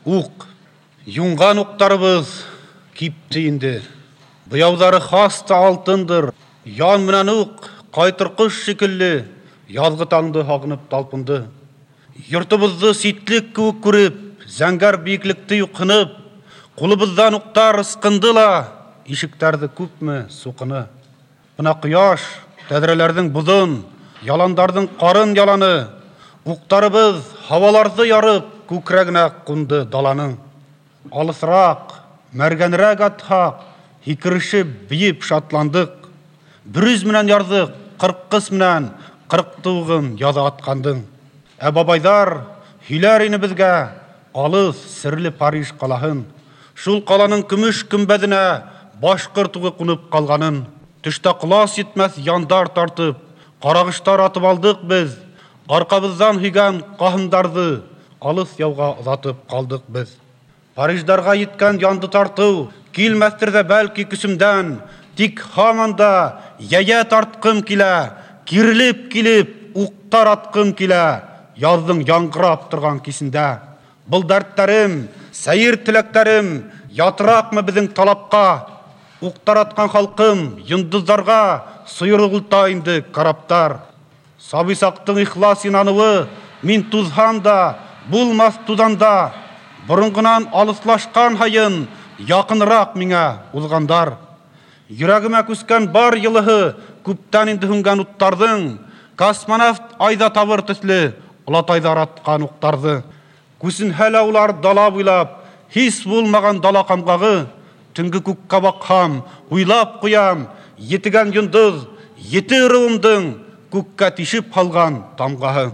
Ук, юңган уктарыбыз кипте инде. Буяулары хас та алтындыр. Ян менән ук, кайтыр кош шикелле, язгы таңды һагынып талпынды. Йортыбызды ситлек кеүек күреп, зәңгәр биеклекте юкынып, кулыбыздан уктар ыскынды ла, ишектәрде күпме сукыны. Мына кояш, тәҙрәләрҙең боҙон, яландарҙың ҡарын яланы, уҡтарыбыҙ һауаларҙы ярып, күкрәгенә ҡунды даланың. Алыҫыраҡ, мәргәнерәк атһаҡ, һикерешеп, бейеп шатландыҡ. Бөрөз менән ярҙыҡ, ҡырҡҡыс менән ҡырҡты уғын яҙа атҡандың. Ә бабайҙар һөйләр ине беҙгә алыҫ, серле Париж ҡалаһын. Шул ҡаланың көмөш көмбәҙенә башҡорт уғы ҡунып ҡалғанын. Төштә ҡолас етмәҫ яндар тартып, ҡарағыштар атып алдыҡ беҙ. Арҡабыҙҙан һөйгән ҡаһындарҙы алыҫ яуға оҙатып ҡалдыҡ беҙ. Париждарға еткән янды тартыу килмәҫтер ҙә бәлки көсөмдән, тик һаман да йәйә тартҡым килә, кирелеп килеп уҡтар атҡым килә, яҙҙың яңғырап торған кисендә. Был дәрттәрем, сәйер теләктәрем ятыраҡмы беҙҙең талапҡа? Уҡтар атҡан халҡым йондоҙҙарға сойорғолта инде караптар. Сабый саҡтың ихлас инаныуы, мин туҙһам да, булмаҫ туҙанда. Боронғонан алыҫлашҡан һайын яҡыныраҡ миңә уҙғандар. Йөрәгемә күскән бар йылыһы күптән инде һүнгән уттарҙың, космонавт айҙа табыр төҫлө олатайҙар атҡан уҡтарҙы. Күсенһә лә улар дала буйлап, һис булмаған дала ҡамғағы, төнгө күккә баҡһам, уйлап ҡуям, етегән йондоҙ, ете ырыуымдың күккә тишеп һалған тамғаһы.